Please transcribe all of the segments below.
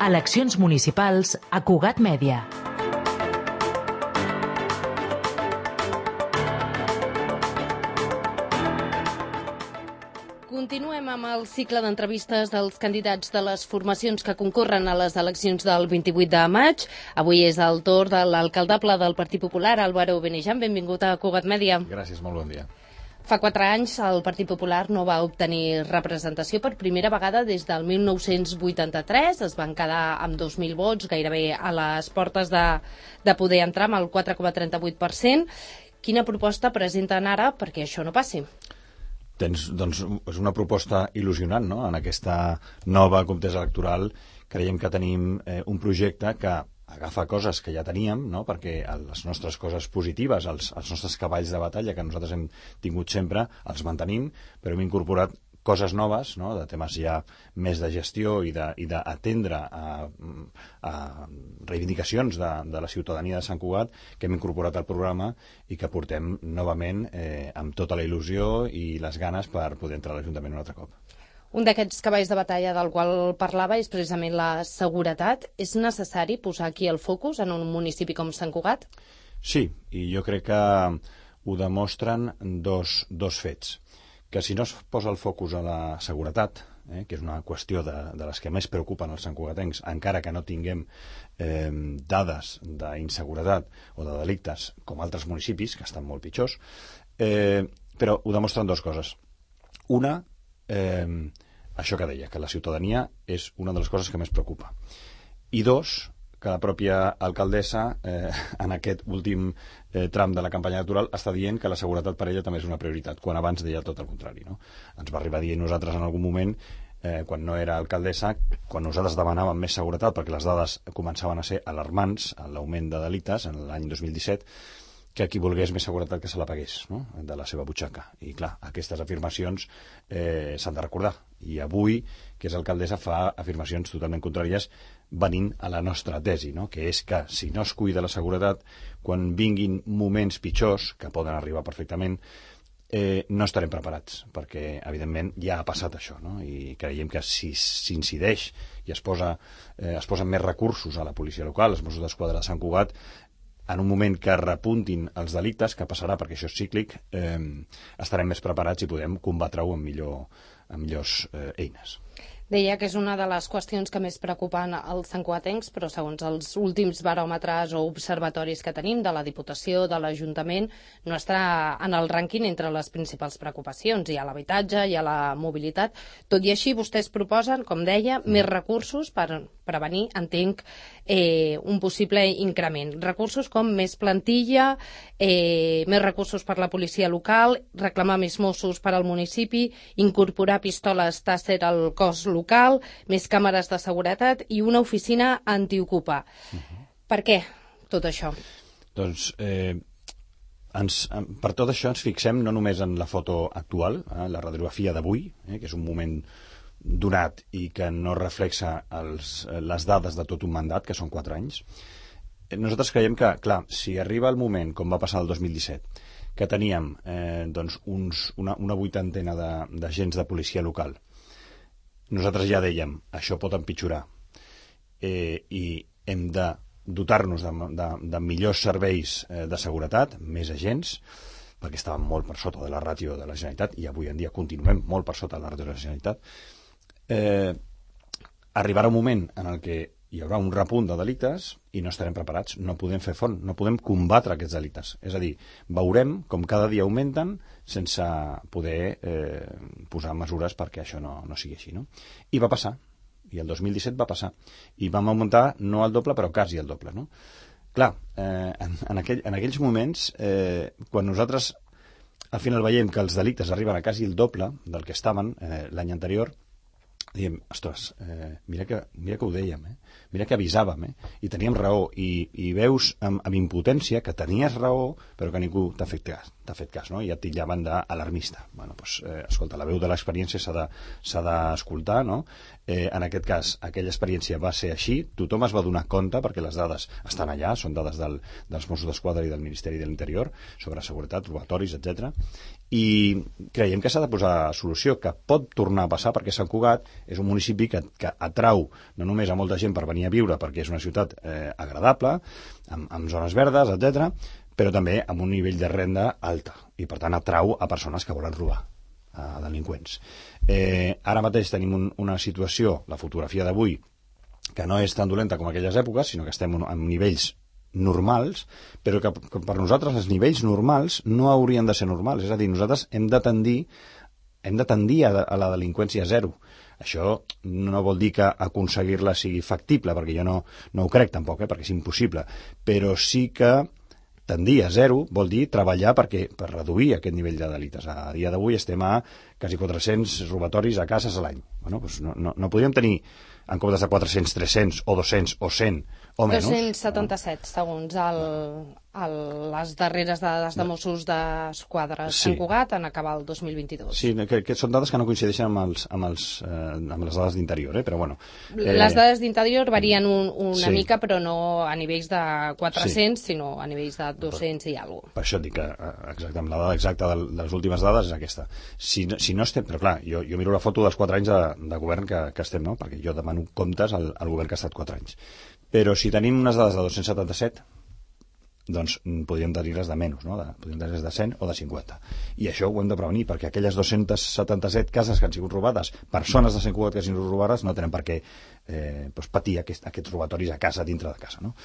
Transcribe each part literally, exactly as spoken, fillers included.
Eleccions municipals a Cugat Mèdia. Continuem amb el cicle d'entrevistes dels candidats de les formacions que concorren a les eleccions del vint-i-vuit de maig. Avui és el torn de l'alcaldable del Partit Popular, Álvaro Benejam. Benvingut a Cugat Mèdia. Gràcies, molt bon dia. Fa quatre anys el Partit Popular no va obtenir representació per primera vegada des del mil nou-cents vuitanta-tres. Es van quedar amb dos mil vots, gairebé a les portes de, de poder entrar amb el quatre coma trenta-vuit per cent. Quina proposta presenten ara perquè això no passi? Tens, doncs, és una proposta il·lusionant, no? En aquesta nova contesa electoral creiem que tenim eh, un projecte que agafa coses que ja teníem, no? Perquè les nostres coses positives, els, els nostres cavalls de batalla que nosaltres hem tingut sempre, els mantenim, però hem incorporat coses noves, no? De temes ja més de gestió i d'atendre a, a reivindicacions de, de la ciutadania de Sant Cugat que hem incorporat al programa i que portem novament eh, amb tota la il·lusió i les ganes per poder entrar a l'Ajuntament un altre cop. Un d'aquests cavalls de batalla del qual parlava és precisament la seguretat. És necessari posar aquí el focus en un municipi com Sant Cugat? Sí, i jo crec que ho demostren dos, dos fets. Que si no es posa el focus a la seguretat, eh, que és una qüestió de, de les que més preocupen els santcugatencs, encara que no tinguem eh, dades d'inseguretat o de delictes com altres municipis, que estan molt pitjors, eh, però ho demostren dues coses. Una, eh, això que deia, que la ciutadania és una de les coses que més preocupa. I dos, que la pròpia alcaldessa eh, en aquest últim eh, tram de la campanya electoral està dient que la seguretat per ella també és una prioritat, quan abans deia tot el contrari, no? Ens va arribar a dir nosaltres en algun moment, eh, quan no era alcaldessa, quan nosaltres demanàvem més seguretat perquè les dades començaven a ser alarmants en l'augment de delictes en l'any dos mil disset, que qui volgués més seguretat que se la pagués, no? De la seva butxaca. I clar, aquestes afirmacions eh, s'han de recordar. I avui, que és alcaldessa, fa afirmacions totalment contràries venint a la nostra tesi, no? Que és que si no es cuida la seguretat, quan vinguin moments pitjors, que poden arribar perfectament, eh, no estarem preparats, perquè evidentment ja ha passat això, no? I creiem que si s'incideix i es, posa, eh, es posen més recursos a la policia local, als Mossos d'Esquadra de Sant Cugat, en un moment que repuntin els delictes, que passarà perquè això és cíclic, eh, estarem més preparats i podem combatre-ho amb, millor, amb millors eh, eines. Deia que és una de les qüestions que més preocupen els santcugatencs, però segons els últims baròmetres o observatoris que tenim de la Diputació, de l'Ajuntament, no està en el rànquing entre les principals preocupacions. Hi ha l'habitatge, hi ha la mobilitat. Tot i així, vostès proposen, com deia, més recursos per prevenir, entenc, eh, un possible increment. Recursos com més plantilla, eh, més recursos per la policia local, reclamar més Mossos per al municipi, incorporar pistoles Taser al cos local, més càmeres de seguretat i una oficina antiocupa. Uh-huh. Per què tot això? Doncs eh, ens, per tot això ens fixem no només en la foto actual, eh, la radiografia d'avui, eh, que és un moment donat i que no reflexa els, les dades de tot un mandat, que són quatre anys. Nosaltres creiem que, clar, si arriba el moment, com va passar el dos mil disset, que teníem eh, doncs uns, una, una vuitantena d'agents de, de policia local, nosaltres ja dèiem, això pot empitjorar eh, i hem de dotar-nos de, de, de millors serveis eh, de seguretat, més agents, perquè estàvem molt per sota de la ràtio de la Generalitat i avui en dia continuem molt per sota de la ràtio de la Generalitat. Eh, arribarà un moment en el que hi haurà un repunt de delictes i no estarem preparats, no podem fer front, no podem combatre aquests delictes. És a dir, veurem com cada dia augmenten sense poder eh, posar mesures perquè això no, no sigui així, no? I va passar, i el dos mil disset va passar, i vam augmentar no el doble però quasi el doble, no? Clar, eh, en, en, aquell, en aquells moments, eh, quan nosaltres al final veiem que els delictes arriben a quasi el doble del que estaven eh, l'any anterior, diem, ostres, eh, mira, que, mira que ho dèiem, eh? Mira que avisàvem, eh? I teníem raó, i, i veus amb, amb impotència que tenies raó, però que ningú t'ha fet cas, t'ha fet cas, no? I et titllaven d'alarmista. Bueno, doncs, eh, escolta, la veu de l'experiència s'ha d'escoltar, no? Eh, en aquest cas, aquella experiència va ser així, tothom es va donar compte, perquè les dades estan allà, són dades del, dels Mossos d'Esquadra i del Ministeri de l'Interior, sobre seguretat, robatoris, etcètera. I creiem que s'ha de posar solució, que pot tornar a passar, perquè Sant Cugat és un municipi que, que atrau no només a molta gent per venir a viure, perquè és una ciutat eh, agradable, amb, amb zones verdes, etcètera, però també amb un nivell de renda alta, i per tant atrau a persones que volen robar, a delinqüents. Eh, ara mateix tenim un, una situació, la fotografia d'avui, que no és tan dolenta com aquelles èpoques, sinó que estem en nivells normals, però que, que per nosaltres els nivells normals no haurien de ser normals. És a dir, nosaltres hem de tendir, hem de tendir a, a la delinqüència zero. Això no vol dir que aconseguir-la sigui factible, perquè jo no, no ho crec tampoc, eh, perquè és impossible, però sí que tendir a zero vol dir treballar perquè, per reduir aquest nivell de delictes. A dia d'avui estem a quasi quatre-cents robatoris a cases a l'any. Bueno, doncs no, no, no podríem tenir en comptes de quatre-cents, tres-cents o dos-cents o cent o menys. dos-cents setanta-set, no? Segons el, el, les darreres dades de Mossos d'Esquadra sí. Sant Cugat en acabar el dos mil vint-i-dos. Sí, que, que són dades que no coincideixen amb, els, amb, els, eh, amb les dades d'interior, eh? Però bueno. Eh... Les dades d'interior varien un, una sí. mica, però no a nivells de quatre-cents, sí. sinó a nivells de dos-cents per, i alguna cosa. Per això et dic que exacte, la dada exacta de, de les últimes dades és aquesta. Si, si no estem... Però clar, jo, jo miro la foto dels quatre anys de, de govern que, que estem, no? Perquè jo demano comptes al, al govern que ha estat quatre anys. Però si tenim unes dades de dos-cents setanta-set, doncs podríem tenir-les de menys, no? De, podríem tenir-les de cent o de cinquanta. I això ho hem de prevenir, perquè aquelles dos-cents setanta-set cases que han sigut robades, persones de Sant Cugat que han sigut robades, no tenen per què eh, doncs patir aquest, aquests robatoris a casa, dintre de casa, no?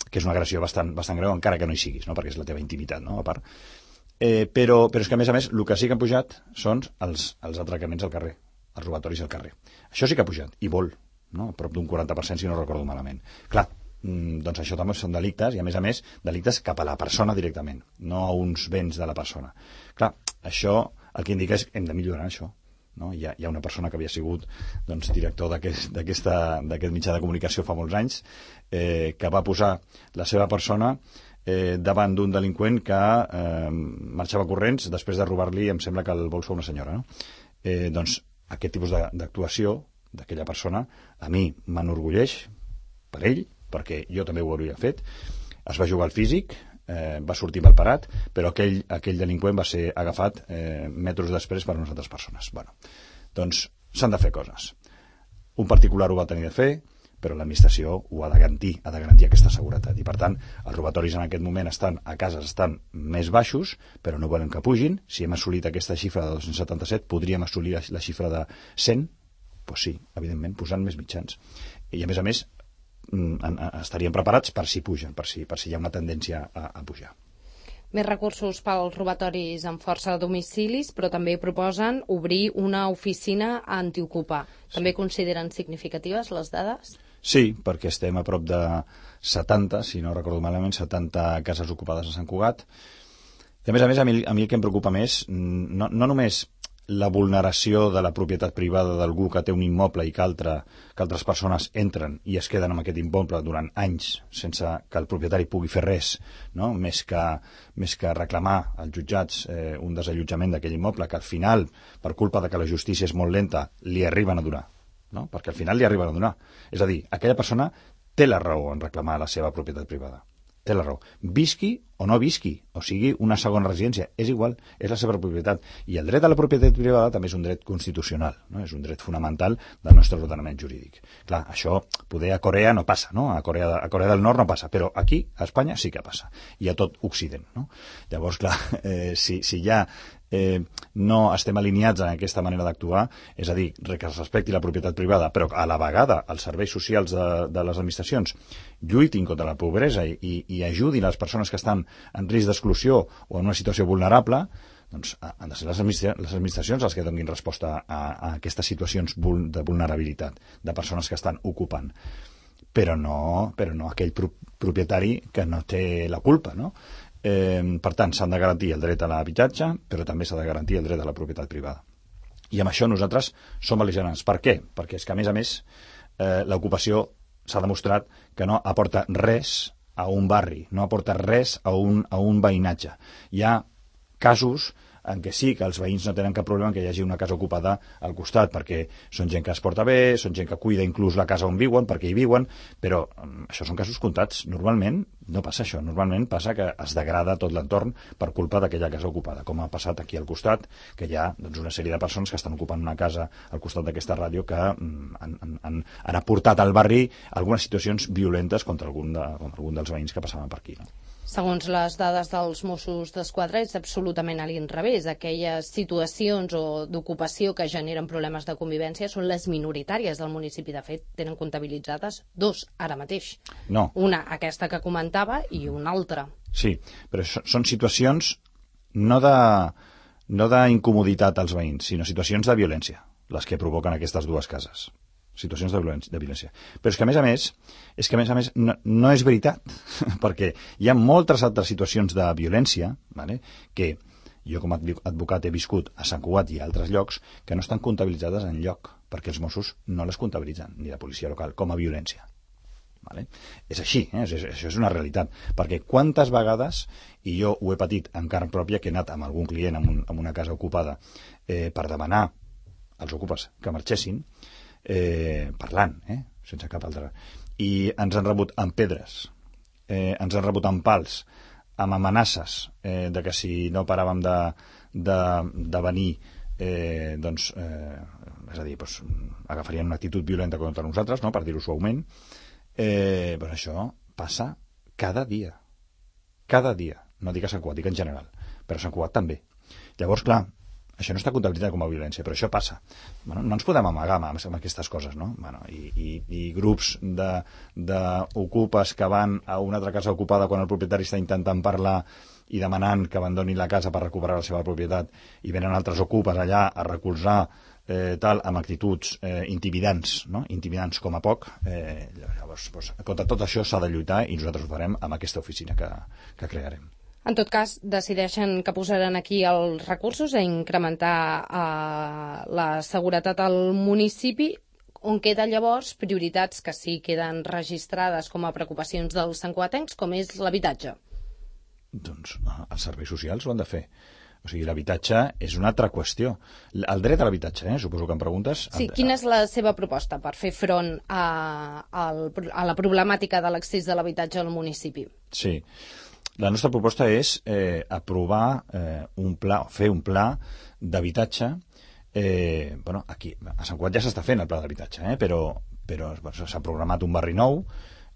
Que és una agressió bastant, bastant greu, encara que no hi siguis, no? Perquè és la teva intimitat, no? A part. Eh, però, però és que, a més a més, el que sí que han pujat són els, els atracaments al carrer, els robatoris al carrer. Això sí que ha pujat, i molt, no? A prop d'un quaranta per cent, si no recordo malament. Clar, doncs això també són delictes, i a més a més, delictes cap a la persona directament, no a uns béns de la persona. Clar, això el que indica és que hem de millorar això. No? Hi ha, hi ha una persona que havia sigut doncs, director d'aquest mitjà de comunicació fa molts anys, eh, que va posar la seva persona eh, davant d'un delinqüent que eh, marxava corrents després de robar-li, em sembla que el bolso a una senyora. No? Eh, doncs aquest tipus d'actuació d'aquella persona a mi m'enorgulleix per ell, perquè jo també ho hauria fet. Es va jugar al físic, eh, va sortir mal parat, però aquell, aquell delinqüent va ser agafat eh, metres després per unes altres persones. Bueno, doncs s'han de fer coses. Un particular ho va tenir de fer, però l'administració ho ha de garantir, ha de garantir aquesta seguretat. I per tant, els robatoris en aquest moment estan a cases estan més baixos, però no volem que pugin. Si hem assolit aquesta xifra de dos-cents setanta-set, podríem assolir la xifra de cent. Doncs sí, evidentment, posant més mitjans. I a més a més, estaríem preparats per si pugen, per si, per si hi ha una tendència a, a pujar. Més recursos pels robatoris amb força de domicilis, però també proposen obrir una oficina antiocupa. També sí. Consideren significatives les dades? Sí, perquè estem a prop de setanta, si no recordo malament, setanta cases ocupades a Sant Cugat. I a més a més, a mi, a mi el que em preocupa més, no, no només la vulneració de la propietat privada d'algú que té un immoble i que, altre, que altres persones entren i es queden amb aquest immoble durant anys sense que el propietari pugui fer res, no? més, que, més que reclamar als jutjats eh, un desallotjament d'aquell immoble que al final, per culpa de que la justícia és molt lenta, li arriben a donar, no? Perquè al final li arriben a donar. És a dir, aquella persona té la raó en reclamar la seva propietat privada. Té la raó. Visqui o no visqui, o sigui una segona residència, és igual, és la seva propietat. I el dret a la propietat privada també és un dret constitucional, no? És un dret fonamental del nostre ordenament jurídic. Clar, això poder a Corea no passa, no? A Corea, a Corea del Nord no passa, però aquí, a Espanya, sí que passa. I a tot Occident, no? Llavors, clar, eh, si, si ja eh, no estem alineats en aquesta manera d'actuar, és a dir, que es respecti la propietat privada, però a la vegada els serveis socials de, de les administracions lluitin contra la pobresa i, i, i ajudin les persones que estan en risc d'exclusió o en una situació vulnerable, doncs han de ser les administracions les que donin resposta a, a aquestes situacions de vulnerabilitat de persones que estan ocupant. Però no, però no aquell pro propietari que no té la culpa, no? Eh, per tant, s'han de garantir el dret a l'habitatge, però també s'ha de garantir el dret a la propietat privada. I amb això nosaltres som bel·ligerants. Per què? Perquè és que, a més a més, eh, l'ocupació s'ha demostrat que no aporta res a un barri, no aporta res a un, a un veïnatge. Hi ha casos en què sí, que els veïns no tenen cap problema en que hi hagi una casa ocupada al costat, perquè són gent que es porta bé, són gent que cuida inclús la casa on viuen, perquè hi viuen, però um, això són casos comptats. Normalment no passa això, normalment passa que es degrada tot l'entorn per culpa d'aquella casa ocupada, com ha passat aquí al costat, que hi ha doncs, una sèrie de persones que estan ocupant una casa al costat d'aquesta ràdio que um, han, han, han aportat al barri algunes situacions violentes contra algun, de, contra algun dels veïns que passaven per aquí, no? Segons les dades dels Mossos d'Esquadra, és absolutament a l'inrevés. Aquelles situacions o d'ocupació que generen problemes de convivència són les minoritàries del municipi. De fet, tenen comptabilitzades dos ara mateix. No. Una, aquesta que comentava, i una altra. Sí, però són situacions no de no d'incomoditat als veïns, sinó situacions de violència, les que provoquen aquestes dues cases. Situacions de violència, de violència. Però és que, a més a més, és que, a més a més, no, no és veritat, perquè hi ha moltes altres situacions de violència, vale, que jo com a advocat he viscut a Sant Cugat i a altres llocs, que no estan comptabilitzades en lloc, perquè els Mossos no les comptabilitzen, ni la policia local, com a violència. Vale? És així, eh? és, això és una realitat, perquè quantes vegades, i jo ho he patit en carn pròpia, que he anat amb algun client en, un, en una casa ocupada eh, per demanar als ocupes que marxessin, Eh, parlant, eh? sense cap altra, i ens han rebut amb pedres, eh, ens han rebut amb pals, amb amenaces eh, de que si no paràvem de, de, de venir eh, doncs eh, és a dir, doncs, agafarien una actitud violenta contra nosaltres, no? Per dir-ho suaument. Eh, doncs això passa cada dia cada dia, no dic a Sant Cugat, dic en general, però a Sant Cugat també. Llavors, clar, això no està comptabilitzat com a violència, però això passa. Bueno, no ens podem amagar amb, amb aquestes coses, no? Bueno, i, i, i grups d'ocupes que van a una altra casa ocupada quan el propietari està intentant parlar i demanant que abandonin la casa per recuperar la seva propietat, i venen altres ocupes allà a recolzar eh, tal, amb actituds eh, intimidants, no? Intimidants com a poc. Eh, llavors, doncs, contra tot això s'ha de lluitar, i nosaltres ho farem amb aquesta oficina que, que crearem. En tot cas, decideixen que posaran aquí els recursos a incrementar eh, la seguretat al municipi, on queden llavors prioritats que sí queden registrades com a preocupacions dels santcugatencs, com és l'habitatge. Doncs els serveis socials ho han de fer. O sigui, l'habitatge és una altra qüestió. El dret a l'habitatge, eh? Suposo que em preguntes. Sí, quina és la seva proposta per fer front a, a, a la problemàtica de l'accés de l'habitatge al municipi? Sí. La nostra proposta és eh, aprovar eh, un pla, fer un pla d'habitatge. Eh, bueno, aquí, a Sant Cugat ja s'està fent el pla d'habitatge, eh, però, però s'ha programat un barri nou,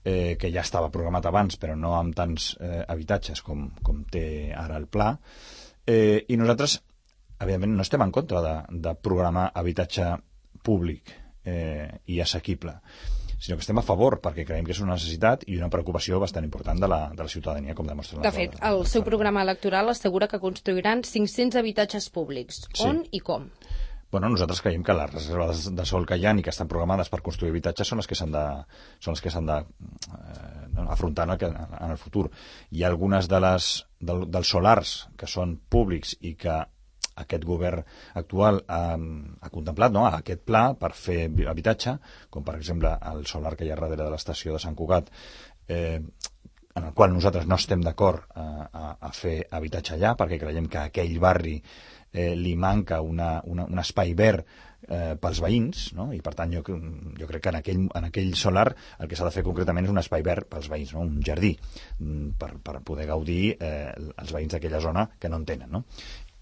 eh, que ja estava programat abans, però no amb tants eh, habitatges com, com té ara el pla. Eh, I nosaltres, evidentment, no estem en contra de, de programar habitatge públic eh, i assequible, sinó que estem a favor, perquè creiem que és una necessitat i una preocupació bastant important de la, de la ciutadania, com demostra la... De fet, el seu programa electoral assegura que construiran cinc-cents habitatges públics. Sí. On i com? Bueno, nosaltres creiem que les reserves de sol que hi ha i que estan programades per construir habitatges són les que s'han de, són les que s'han de eh, afrontar en el, en el futur. Hi ha algunes de les, del, dels solars que són públics i que aquest govern actual ha, ha contemplat, no?, aquest pla per fer habitatge, com per exemple el solar que hi ha darrere de l'estació de Sant Cugat, eh, en el qual nosaltres no estem d'acord a, a, a fer habitatge allà, perquè creiem que a aquell barri eh, li manca una, una, un espai verd eh, pels veïns, no? I per tant jo, jo crec que en aquell, en aquell solar el que s'ha de fer concretament és un espai verd pels veïns, no? Un jardí, per, per poder gaudir eh, els veïns d'aquella zona que no en tenen, no?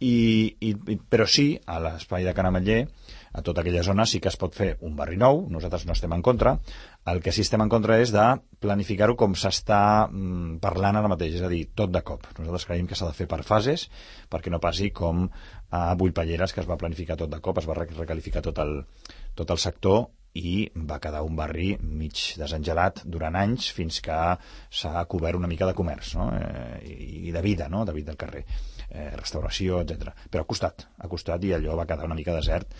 I, i, però sí, a l'espai de Can Ametller, a tota aquella zona sí que es pot fer un barri nou, nosaltres no estem en contra. El que sí estem en contra és de planificar-ho com s'està mm, parlant ara mateix, és a dir, tot de cop. Nosaltres creiem que s'ha de fer per fases, perquè no passi com a Bullpalleres, que es va planificar tot de cop, es va recalificar tot el, tot el sector i va quedar un barri mig desengelat durant anys fins que s'ha cobert una mica de comerç, no? eh, i de vida, no? De vida al carrer, eh, restauració, etcètera. Però ha costat, ha costat i allò va quedar una mica desert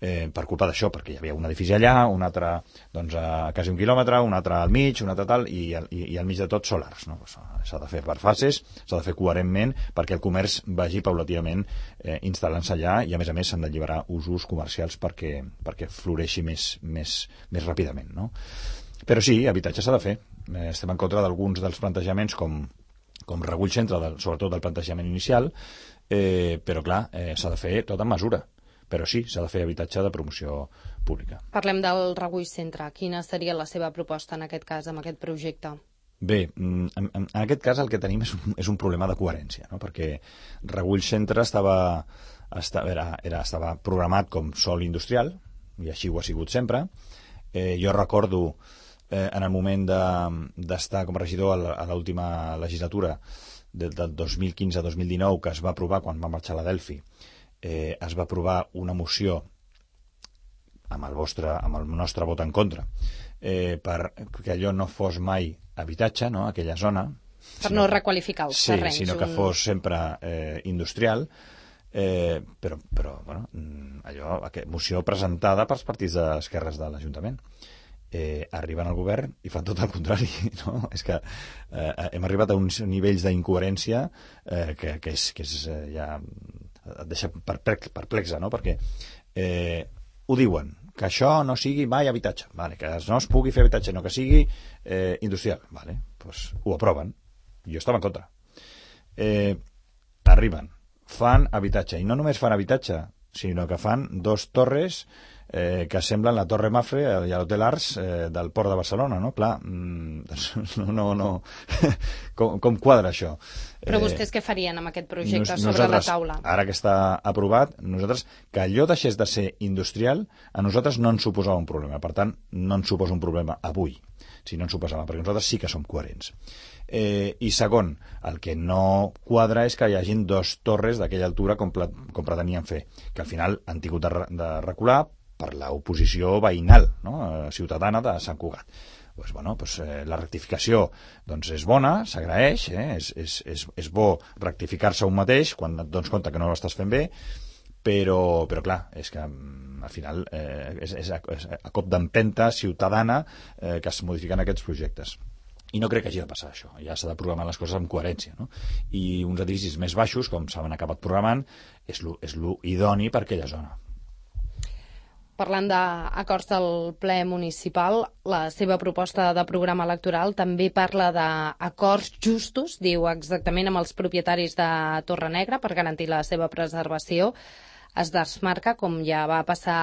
eh, per culpa d'això, perquè hi havia un edifici allà, un altre doncs, a quasi un quilòmetre, un altre al mig, un altre tal, i, i, i al mig de tot solars, no? S'ha de fer per fases, s'ha de fer coherentment perquè el comerç vagi paulatinament eh, instal·lant-se allà, i a més a més s'han d'alliberar usos comercials perquè, perquè floreixi més, més, més ràpidament, no? Però sí, habitatge s'ha de fer. Eh, estem en contra d'alguns dels plantejaments com, com recull centre, del, sobretot del plantejament inicial, eh, però clar, eh, s'ha de fer tot en mesura. Però sí, s'ha de fer habitatge de promoció pública. Parlem del Regull Centre. Quina seria la seva proposta en aquest cas, amb aquest projecte? Bé, en, en, en aquest cas el que tenim és un, és un problema de coherència, no? Perquè Regull Centre estava, estava, era, era, estava programat com sòl industrial, i així ho ha sigut sempre. Eh, jo recordo eh, en el moment d'estar de, com a regidor a, a l'última legislatura del de dos mil quinze a dos mil dinou, que es va aprovar quan va marxar la Delphi, eh, es va aprovar una moció amb el, vostre, amb el nostre vot en contra, eh, per que allò no fos mai habitatge, no?, aquella zona. Per sinó, no requalificar els sí, terrenys. sinó que un... fos sempre eh, industrial, eh, però, però bueno, allò, aquesta moció presentada pels partits d'esquerres de l'Ajuntament. Eh, arriben al govern i fan tot el contrari, no? És que eh, hem arribat a uns nivells d'incoherència eh, que, que és, que és eh, ja et deixa perplexa, no? Perquè eh, ho diuen, que això no sigui mai habitatge, vale, que no es pugui fer habitatge, no que sigui eh, industrial, vale, pues ho aproven. Jo estava en contra. Eh, arriben, fan habitatge, i no només fan habitatge, sinó que fan dos torres eh, que semblen la Torre Mafre i l'Hotel Ars eh, del Port de Barcelona, no? Clar, mm, no, no, no. com, com quadra això? Però vostès què farien amb aquest projecte nos, sobre la taula? Ara que està aprovat, nosaltres, que allò deixés de ser industrial, a nosaltres no ens suposava un problema. Per tant, no ens suposa un problema avui, si no ens suposava, perquè nosaltres sí que som coherents. Eh, I segon, el que no quadra és que hi hagin dos torres d'aquella altura com, com pretenien fer, que al final han tingut de, de recular per l'oposició veïnal, no?, ciutadana de Sant Cugat. Pues, bueno, pues, eh, la rectificació doncs, és bona, s'agraeix, eh? és, és, és, és bo rectificar-se un mateix quan et dones compte que no l'estàs fent bé, però, però clar, és que al final eh, és, és, a, és a cop d'empenta ciutadana eh, que es modifiquen aquests projectes. I no crec que hagi de passar això, ja s'ha de programar les coses amb coherència, no? I uns edificis més baixos, com s'han acabat programant, és lo, és lo idoni per aquella zona. Parlant d'acords del ple municipal, la seva proposta de programa electoral també parla d'acords justos, diu exactament, amb els propietaris de Torrenegra per garantir la seva preservació. Es desmarca, com ja va passar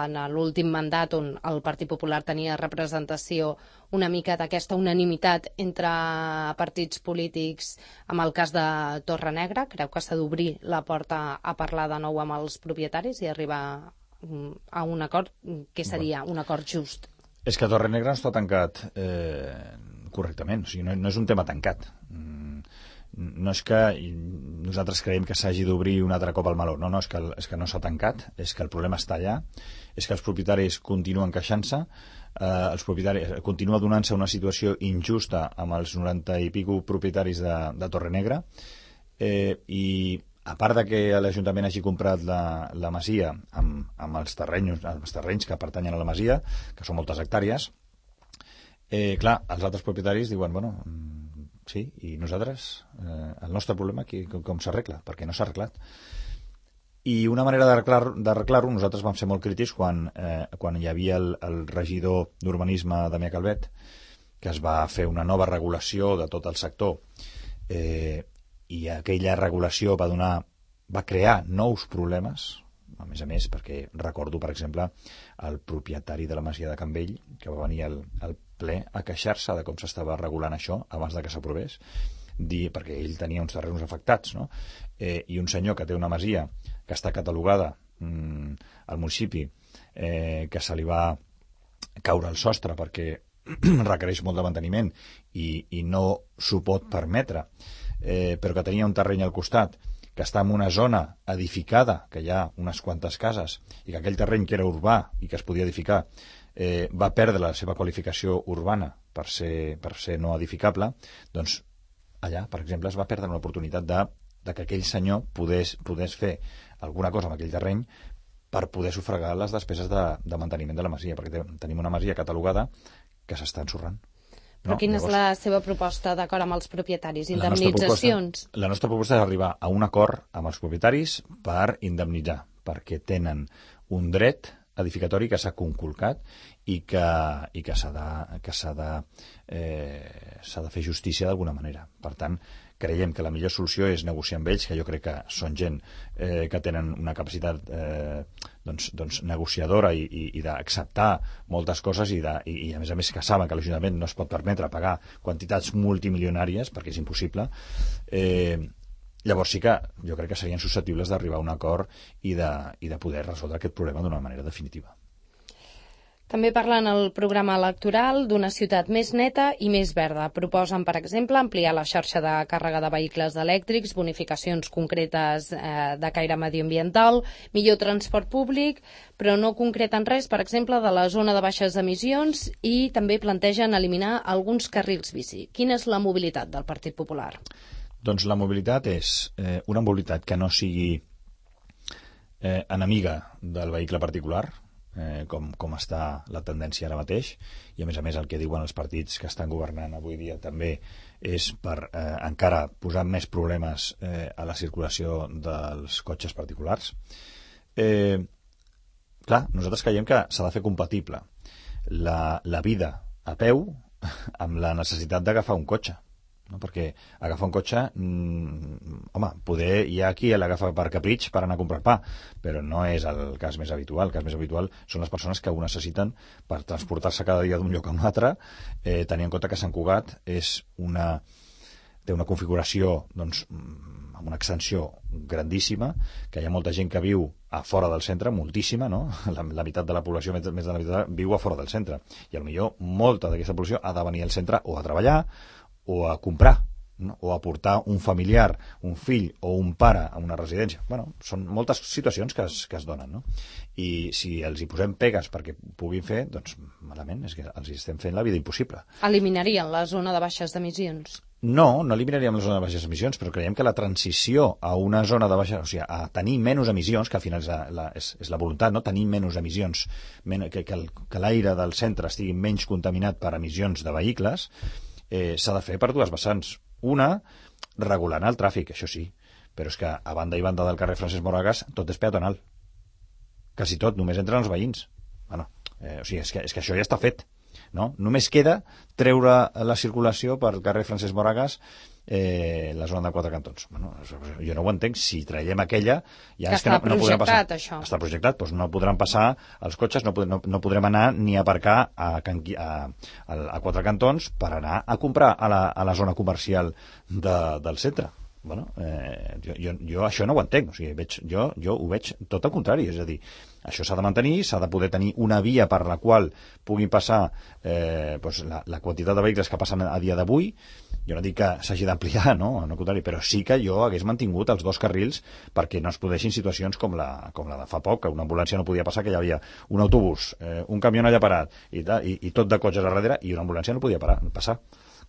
en l'últim mandat on el Partit Popular tenia representació, una mica d'aquesta unanimitat entre partits polítics amb el cas de Torrenegra. Creu que s'ha d'obrir la porta a parlar de nou amb els propietaris i arribar a un acord que seria un acord just? És que Torrenegra no està tancat eh, correctament, o sigui, no, no és un tema tancat. No és que nosaltres creiem que s'hagi d'obrir un altre cop al meló, no, no, és que, és que no s'ha tancat, és que el problema està allà, és que els propietaris continuen queixant-se, eh, els propietaris continua donant-se una situació injusta amb els noranta i pico propietaris de, de Torrenegra, eh, i a part de que l'Ajuntament hagi comprat la, la masia amb, amb els, terrenys, els terrenys que pertanyen a la masia, que són moltes hectàrees, eh, clar, els altres propietaris diuen, bueno, sí, i nosaltres, eh, el nostre problema aquí, com, com s'arregla? Perquè no s'ha arreglat. I una manera d'arreglar-ho, nosaltres vam ser molt crítics quan, eh, quan hi havia el, el regidor d'Urbanisme, Damià Calvet, que es va fer una nova regulació de tot el sector, eh, i aquella regulació va donar, va crear nous problemes, a més a més, perquè recordo, per exemple, el propietari de la masia de Canvell, que va venir al, al ple a queixar-se de com s'estava regulant això abans de que s'aprovés, dir, perquè ell tenia uns terrenys afectats, no? Eh, i un senyor que té una masia que està catalogada mm, al municipi, eh, que se li va caure el sostre perquè requereix molt de manteniment i, i no s'ho pot permetre, eh, però que tenia un terreny al costat que està en una zona edificada, que hi ha unes quantes cases, i que aquell terreny que era urbà i que es podia edificar eh, va perdre la seva qualificació urbana per ser, per ser no edificable, doncs allà, per exemple, es va perdre una oportunitat de, de que aquell senyor podés, podés fer alguna cosa amb aquell terreny per poder sufragar les despeses de, de manteniment de la masia, perquè tenim una masia catalogada que s'està ensorrant. Però no? quina Llavors, és la seva proposta d'acord amb els propietaris? La nostra Indemnitzacions? proposta, la nostra proposta és arribar a un acord amb els propietaris per indemnitzar, perquè tenen un dret edificatori que s'ha conculcat i que, i que s'ha de, que s'ha de, eh, s'ha de fer justícia d'alguna manera. Per tant, creiem que la millor solució és negociar amb ells, que jo crec que són gent eh, que tenen una capacitat eh, doncs, doncs negociadora i, i, i d'acceptar moltes coses i, de, i, i a més a més que saben que l'Ajuntament no es pot permetre pagar quantitats multimilionàries perquè és impossible. eh, llavors sí que jo crec que serien susceptibles d'arribar a un acord i de, i de poder resoldre aquest problema d'una manera definitiva. També parlen al programa electoral d'una ciutat més neta i més verda. Proposen, per exemple, ampliar la xarxa de càrrega de vehicles elèctrics, bonificacions concretes eh, de caire mediambiental, millor transport públic, però no concreten res, per exemple, de la zona de baixes emissions i també plantegen eliminar alguns carrils bici. Quina és la mobilitat del Partit Popular? Doncs la mobilitat és eh, una mobilitat que no sigui eh, enemiga del vehicle particular, Eh, com, com està la tendència ara mateix, i a més a més el que diuen els partits que estan governant avui dia també és per eh, encara posar més problemes eh, a la circulació dels cotxes particulars. Eh, clar, nosaltres creiem que s'ha de fer compatible la, la vida a peu amb la necessitat d'agafar un cotxe. No? Perquè agafar un cotxe, mmm, home, poder hi ha qui l'agafa per capritx per anar a comprar pa, però no és el cas més habitual. El cas més habitual són les persones que ho necessiten per transportar-se cada dia d'un lloc a un altre, eh, tenint en compte que Sant Cugat és una, té una configuració doncs, amb una extensió grandíssima, que hi ha molta gent que viu a fora del centre, moltíssima, no? La, la meitat de la població, més de la meitat, viu a fora del centre, i potser molta d'aquesta població ha de venir al centre o a treballar o a comprar, no? O a portar un familiar, un fill o un pare a una residència. Bueno, són moltes situacions que es, que es donen, no? I si els hi posem pegues perquè puguin fer, doncs malament, és que els hi estem fent la vida impossible. Eliminarien la zona de baixes emissions? No, no eliminaríem la zona de baixes emissions, però creiem que la transició a una zona de baixes, o sigui, a tenir menys emissions, que al final és la, la, és, és la voluntat, no? Tenir menys emissions, men que, que, el, que l'aire del centre estigui menys contaminat per emissions de vehicles, eh, s'ha de fer per dues vessants. Una, regulant el tràfic, això sí, però és que a banda i banda del carrer Francesc Moragas tot és peatonal. Quasi tot, només entren els veïns. Bueno, eh, o sigui, és que, és que això ja està fet. No? Només queda treure la circulació pel carrer Francesc Moragas, eh, la zona de Quatre Cantons. Bueno, jo no ho entenc. Si traiem aquella, ja que és que no, no podrem passar. Això. Està projectat, doncs no podran passar els cotxes, no, no, no podrem anar ni a aparcar a, a, a, a Quatre Cantons per anar a comprar a la, a la zona comercial de, del centre. Bueno, eh, jo, jo, jo això no ho entenc, o sigui, veig, jo, jo ho veig tot el contrari, és a dir, això s'ha de mantenir, s'ha de poder tenir una via per la qual puguin passar eh, doncs la, la quantitat de vehicles que passen a dia d'avui. Jo no dic que s'hagi d'ampliar, no? No, contrari, però sí que jo hagués mantingut els dos carrils perquè no es produeixin situacions com la, com la de fa poc, que una ambulància no podia passar, que hi havia un autobús, eh, un camió allà parat i, i, i tot de cotxes a darrere, i una ambulància no podia parar, passar.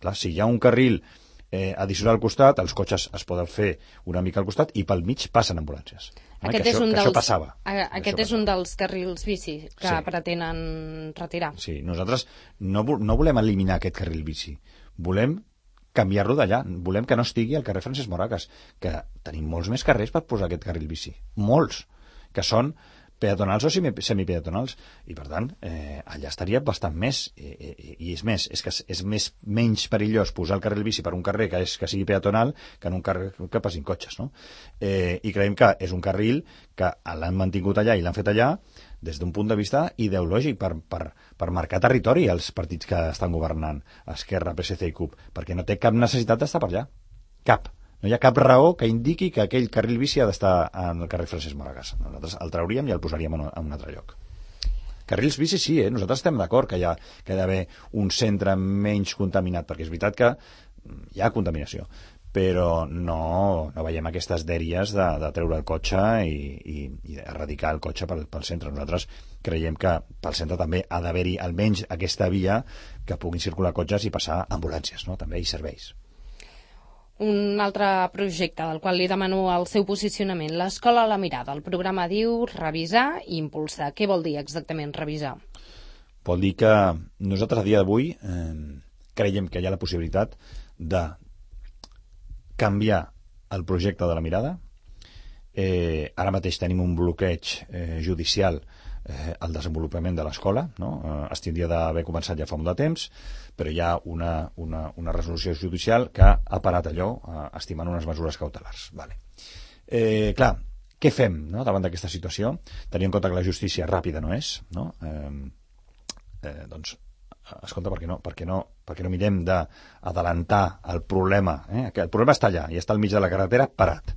Clar, si hi ha un carril Eh, addicional al costat, els cotxes es poden fer una mica al costat i pel mig passen ambulàncies. Aquest, que és, això, un que dels, això passava. A, aquest això és un dels carrils bici que sí. pretenen retirar. Sí, nosaltres no, no volem eliminar aquest carril bici. Volem canviar-lo d'allà. Volem que no estigui al carrer Francesc Moragas, que tenim molts més carrers per posar aquest carril bici. Molts, que són peatonals o semipeatonals, i per tant eh, allà estaria bastant més, i, i, i és més, és que és més menys perillós posar el carril bici per un carrer que, és, que sigui peatonal que en un carrer que passin cotxes, no? Eh, i creiem que és un carril que l'han mantingut allà i l'han fet allà des d'un punt de vista ideològic per, per, per marcar territori als partits que estan governant, Esquerra, P S C i C U P, perquè no té cap necessitat d'estar per allà, cap. No hi ha cap raó que indiqui que aquell carril bici ha d'estar en el carrer Francesc Moragas. Nosaltres el trauríem i el posaríem en un altre lloc. Carrils bici sí, eh? Nosaltres estem d'acord que hi ha, que ha d'haver un centre menys contaminat, perquè és veritat que hi ha contaminació, però no, no veiem aquestes dèries de, de treure el cotxe i, i, i erradicar el cotxe pel, pel centre. Nosaltres creiem que pel centre també ha d'haver-hi almenys aquesta via que puguin circular cotxes i passar ambulàncies, no? També i serveis. Un altre projecte del qual li demano el seu posicionament, l'Escola a la Mirada. El programa diu revisar i impulsar. Què vol dir exactament revisar? Vol dir que nosaltres a dia d'avui eh, creiem que hi ha la possibilitat de canviar el projecte de la Mirada. Eh, ara mateix tenim un bloqueig eh, judicial eh, el desenvolupament de l'escola, no? Eh, es tindria d'haver començat ja fa molt de temps, però hi ha una, una, una resolució judicial que ha parat allò, eh, estimant unes mesures cautelars. Vale. Eh, clar, què fem, no?, davant d'aquesta situació? Tenint en compte que la justícia ràpida no és, no? Eh, eh, doncs escolta, per què no, per què no, per què no mirem d'adelantar el problema, eh? El problema està allà, i està al mig de la carretera parat.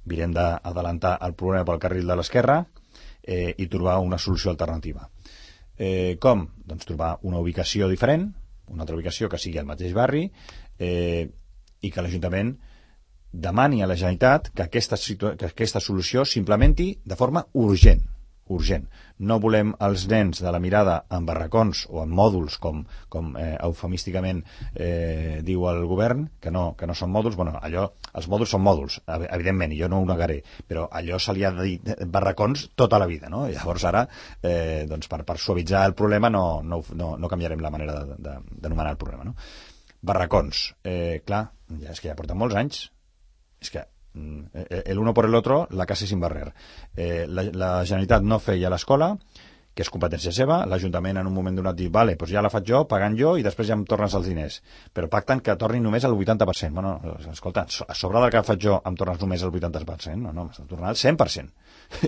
Mirem d'adelantar el problema pel carril de l'esquerra eh, i trobar una solució alternativa. Eh, com? Doncs trobar una ubicació diferent, una altra ubicació que sigui al mateix barri, eh, i que l'Ajuntament demani a la Generalitat que aquesta, que aquesta solució s'implementi de forma urgent. urgent. No volem els nens de la mirada en barracons o en mòduls, com, com eh, eufemísticament eh, diu el govern, que no, que no són mòduls. Bueno, allò, els mòduls són mòduls, evidentment, i jo no ho negaré, però allò se li ha de dir barracons tota la vida, no? Llavors ara, eh, doncs per, per suavitzar el problema no, no, no, no canviarem la manera d'anomenar el problema, no? Barracons, eh, clar, ja és que ja porten molts anys, és que el uno por el otro, la casa sin barrer. Eh, la, la Generalitat no feia l'escola, que és competència seva, l'Ajuntament en un moment donat diu, vale, doncs ja la faig jo, pagant jo, i després ja em tornes els diners. Però pacten que tornin només el vuitanta per cent. Bueno, escolta, a sobre del que faig jo em tornes només el vuitanta per cent? No, no, m'està tornant el cent per cent.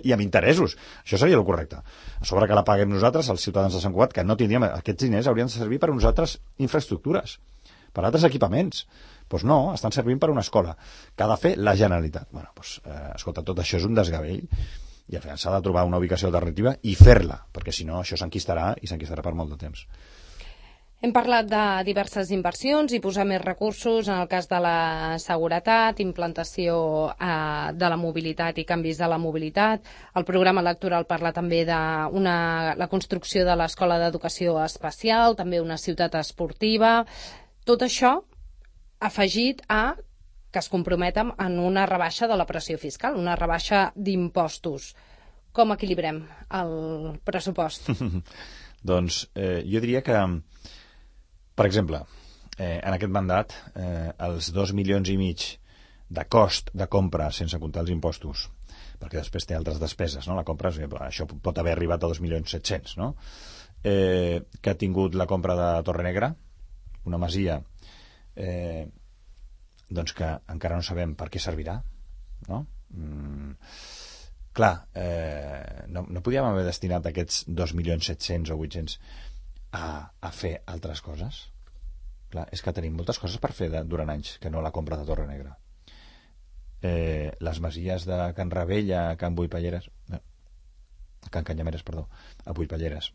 I amb interessos. Això seria el correcte. A sobre que la paguem nosaltres, els ciutadans de Sant Cugat, que no tindríem... Aquests diners haurien de servir per a nosaltres infraestructures, per a altres equipaments. Doncs no, estan servint per una escola que ha de fer la Generalitat. Bueno, doncs, eh, escolta, tot això és un desgavell i al final s'ha de trobar una ubicació alternativa i fer-la, perquè si no això s'enquistarà i s'enquistarà per molt de temps. Hem parlat de diverses inversions i posar més recursos en el cas de la seguretat, implantació eh, de la mobilitat i canvis de la mobilitat. El programa electoral parla també de una, la construcció de l'Escola d'Educació Especial, també una ciutat esportiva. Tot això afegit a que es comprometen en una rebaixa de la pressió fiscal, una rebaixa d'impostos. Com equilibrem el pressupost? Doncs eh, jo diria que, per exemple, eh, en aquest mandat, eh, els dos milions i mig de cost de compra sense comptar els impostos, perquè després té altres despeses, no? La compra, això pot haver arribat a dos milions set-cents, no? Eh, que ha tingut la compra de Torrenegra, una masia Eh, doncs que encara no sabem per què servirà, no? Mm, clar, eh, no, no podíem haver destinat aquests dos milions set-cents o vuit-cents a, a fer altres coses? Clar, és que tenim moltes coses per fer de, durant anys que no la compra de Torrenegra. Eh, les masies de Can Ravella, Can Buipalleres, no, Can Canyameres, perdó, a Buipalleres,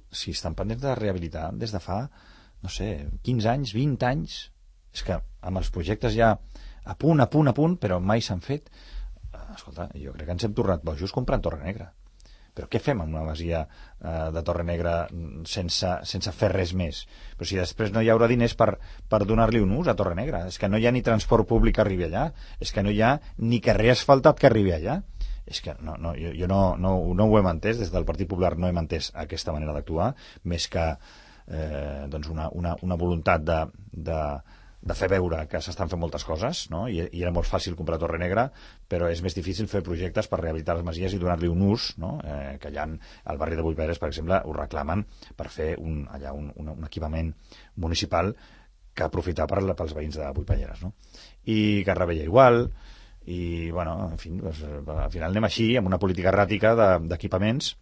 si estan pendents de rehabilitar des de fa no sé, quinze anys, vint anys, és que amb els projectes ja a punt, a punt, a punt, però mai s'han fet. Escolta, jo crec que ens hem tornat bojos comprant Torrenegra. Però què fem amb una masia eh, de Torrenegra sense, sense fer res més? Però si després no hi haurà diners per, per donar-li un ús a Torrenegra, és que no hi ha ni transport públic que arribi allà, és que no hi ha ni carrer asfaltat que arribi allà. És que no, no, jo, jo no, no, no ho hem entès, des del Partit Popular no hem entès aquesta manera d'actuar, més que Eh, doncs una, una, una voluntat de, de, de fer veure que s'estan fent moltes coses, no? I, i era molt fàcil comprar Torrenegra, però és més difícil fer projectes per rehabilitar les masies i donar-li un ús, no? Eh, que allà al barri de Buiperes, per exemple, ho reclamen per fer un, allà un, un, un equipament municipal que aprofitar per, pels veïns de Buipalleres, no? I que Ravella igual, i bueno, en fi, doncs, al final anem així amb una política erràtica d'equipaments.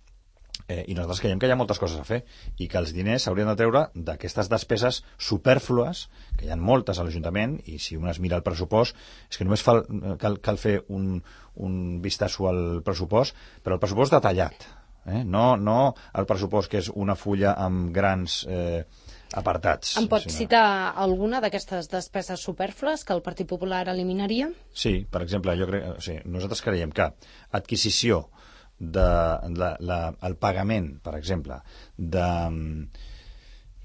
Eh, i nosaltres creiem que hi ha moltes coses a fer i que els diners s'haurien de treure d'aquestes despeses supèrflues, que hi ha moltes a l'Ajuntament, i si un es mira el pressupost és que només fa, cal, cal fer un, un vistasso al pressupost, però el pressupost detallat, eh? no, no el pressupost que és una fulla amb grans eh, apartats. Em pot sinó... citar alguna d'aquestes despeses supèrflues que el Partit Popular eliminaria? Sí, per exemple, jo crec, o sigui, nosaltres creiem que adquisició de la, la, el pagament, per exemple,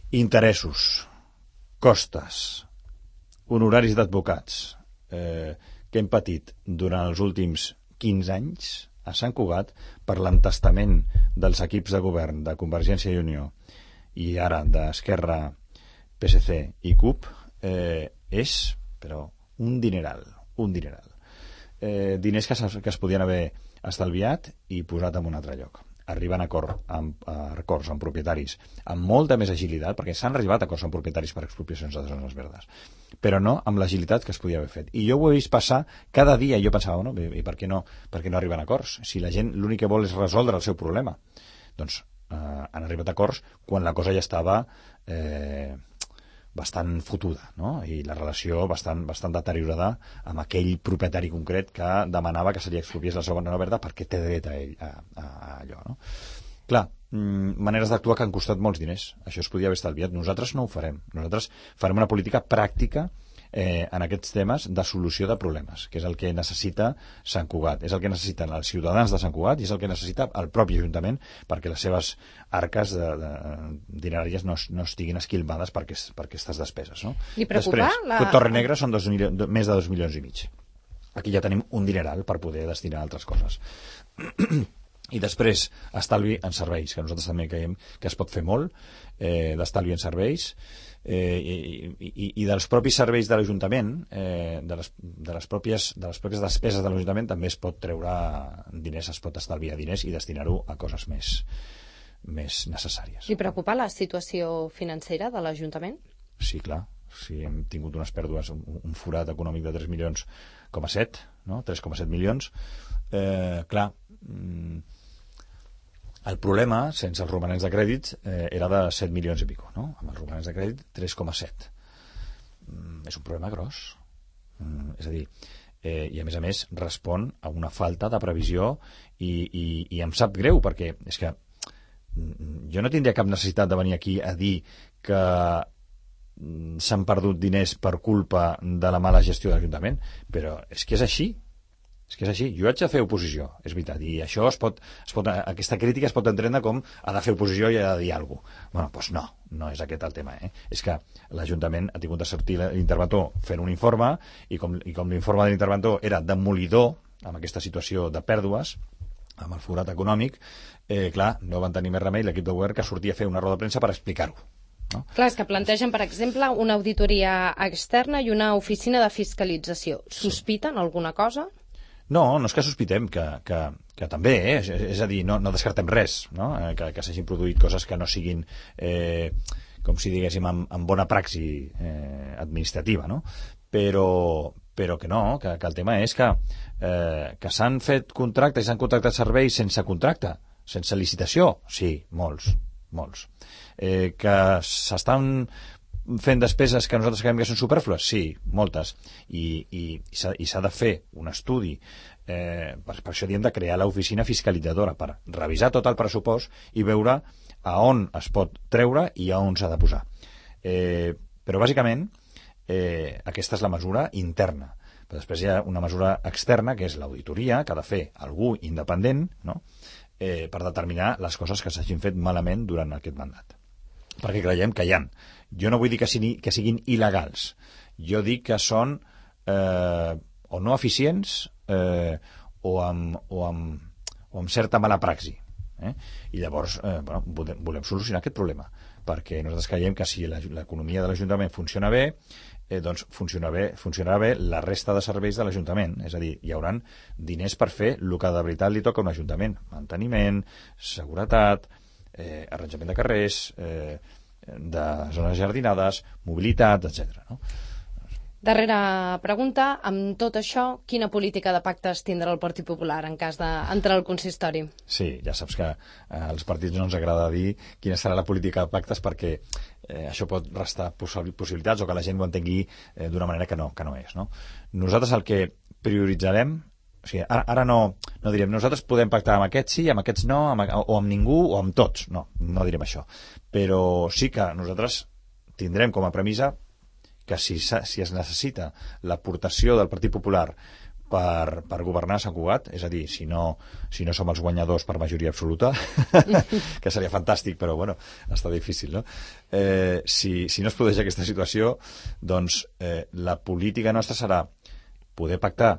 d'interessos, costes, honoraris d'advocats eh, que hem patit durant els últims quinze anys a Sant Cugat per l'entestament dels equips de govern de Convergència i Unió i ara d'Esquerra, P S C i C U P, eh, és, però, un dineral, un dineral. Eh, diners que, que es podien haver estalviat i posat en un altre lloc. arriben a acord amb, a acords amb propietaris amb molta més agilitat, perquè s'han arribat a acords amb propietaris per expropiacions de zones verdes, però no amb l'agilitat que es podia haver fet. I jo ho he vist passar cada dia, i jo pensava, no, i per què no, per què no arriben a acords? Si la gent l'únic que vol és resoldre el seu problema. Doncs eh, han arribat a acords quan la cosa ja estava eh, bastant fotuda, no? I la relació bastant, bastant deteriorada amb aquell propietari concret que demanava que se li expropiés la segona verda perquè té dret a ell a, a, a allò, no? Clar, mm, maneres d'actuar que han costat molts diners. Això es podia haver estalviat. Nosaltres no ho farem. Nosaltres farem una política pràctica eh, en aquests temes de solució de problemes, que és el que necessita Sant Cugat, és el que necessiten els ciutadans de Sant Cugat i és el que necessita el propi Ajuntament perquè les seves arques de, de, dineràries no, no estiguin esquilmades per, aquest, per aquestes despeses. No? Li preocupa? Després, la... Torrenegra són dos milions, més de dos milions i mig. Aquí ja tenim un dineral per poder destinar a altres coses. I després, estalvi en serveis, que nosaltres també creiem que es pot fer molt, eh, d'estalvi en serveis, eh, i, i, i dels propis serveis de l'Ajuntament, eh, de, les, de, les pròpies, de les pròpies despeses de l'Ajuntament també es pot treure diners, es pot estalviar diners i destinar-ho a coses més, més necessàries. Li preocupa la situació financera de l'Ajuntament? Sí, clar. Sí, hem tingut unes pèrdues, un, un forat econòmic de tres milions coma set, no? tres coma set milions. Eh, clar, mm, el problema, sense els romanents de crèdit, eh, era de set milions i pico, no? Amb els romanents de crèdit, tres coma set. Mm, és un problema gros. Mm, és a dir, eh, i a més a més respon a una falta de previsió i, i, i em sap greu, perquè és que mm, jo no tindria cap necessitat de venir aquí a dir que s'han perdut diners per culpa de la mala gestió de l'Ajuntament, però és que és així. És que és així. Jo haig de fer oposició, és veritat, i això es pot, es pot, aquesta crítica es pot entendre com ha de fer oposició i ha de dir alguna cosa. Bueno, doncs no, no és aquest el tema. Eh? És que l'Ajuntament ha tingut de sortir l'interventor fent un informe i com, i com l'informe de l'interventor era demolidor amb aquesta situació de pèrdues, amb el forat econòmic, eh, clar, no van tenir més remei l'equip de govern que sortia a fer una roda de premsa per explicar-ho. No? Clar, és que plantegen, per exemple, una auditoria externa i una oficina de fiscalització. Sospiten sí. alguna cosa? No, no és que sospitem, que, que, que també, eh? és, és a dir, no, no descartem res, no? eh, que, que s'hagin produït coses que no siguin, eh, com si diguéssim, amb, amb bona praxi eh, administrativa, no? Però, però que no, que, que el tema és que, eh, que s'han fet contractes i s'han contractat serveis sense contracte, sense licitació, sí, molts, molts. Eh, que s'estan fent despeses que nosaltres creiem que són superflues? Sí, moltes. I, i, i s'ha de fer un estudi. Eh, per, per això diem de crear l'oficina fiscalitzadora, per revisar tot el pressupost i veure a on es pot treure i a on s'ha de posar. Eh, però, bàsicament, eh, aquesta és la mesura interna. Però després hi ha una mesura externa, que és l'auditoria, que ha de fer algú independent, no? eh, per determinar les coses que s'hagin fet malament durant aquest mandat. Perquè creiem que hi ha. Jo no vull dir que siguin, que siguin il·legals. Jo dic que són eh, o no eficients eh, o, amb, o, amb, o amb certa mala praxi. Eh? I llavors eh, bueno, volem, volem solucionar aquest problema, perquè nosaltres creiem que si l'economia de l'Ajuntament funciona bé, eh, doncs funciona bé, funcionarà bé la resta de serveis de l'Ajuntament. És a dir, hi haurà diners per fer el que de veritat li toca a un Ajuntament. Manteniment, seguretat, eh, arranjament de carrers, eh, de zones jardinades, mobilitat, etcètera. No? Darrera pregunta, amb tot això, quina política de pactes tindrà el Partit Popular en cas d'entrar al consistori? Sí, ja saps que eh, als partits no ens agrada dir quina serà la política de pactes perquè eh, això pot restar possibilitats o que la gent ho entengui eh, d'una manera que no, que no és. No? Nosaltres el que prioritzarem, o sigui, ara, ara no, no direm nosaltres podem pactar amb aquests sí, amb aquests no, amb, o amb ningú o amb tots, no, no direm això, però sí que nosaltres tindrem com a premissa que si, si es necessita l'aportació del Partit Popular per, per governar Sant Cugat, és a dir, si no, si no som els guanyadors per majoria absoluta, que seria fantàstic, però bueno, està difícil, no? Eh, si, si no es produeix aquesta situació, doncs eh, la política nostra serà poder pactar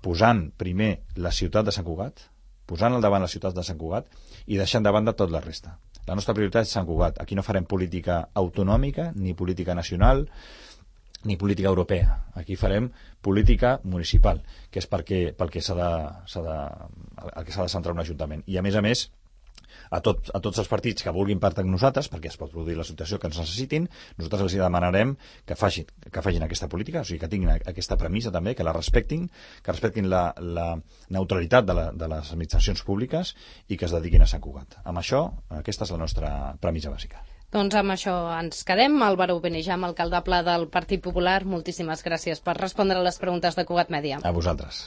posant primer la ciutat de Sant Cugat, posant al davant la ciutat de Sant Cugat i deixant de banda tot la resta. La nostra prioritat és Sant Cugat. Aquí no farem política autonòmica, ni política nacional, ni política europea. Aquí farem política municipal, que és perquè, pel que s'ha de, s'ha de, el que s'ha de centrar un ajuntament. I a més a més, a, tot, a tots els partits que vulguin pactar amb nosaltres, perquè es pot produir la situació que ens necessitin, nosaltres els demanarem que facin, que facin aquesta política, o sigui, que tinguin aquesta premissa també, que la respectin, que respectin la, la neutralitat de, la, de les administracions públiques i que es dediquin a Sant Cugat. Amb això, aquesta és la nostra premissa bàsica. Doncs amb això ens quedem. Álvaro Benejam, alcaldable del Partit Popular, moltíssimes gràcies per respondre a les preguntes de Cugat Mèdia. A vosaltres.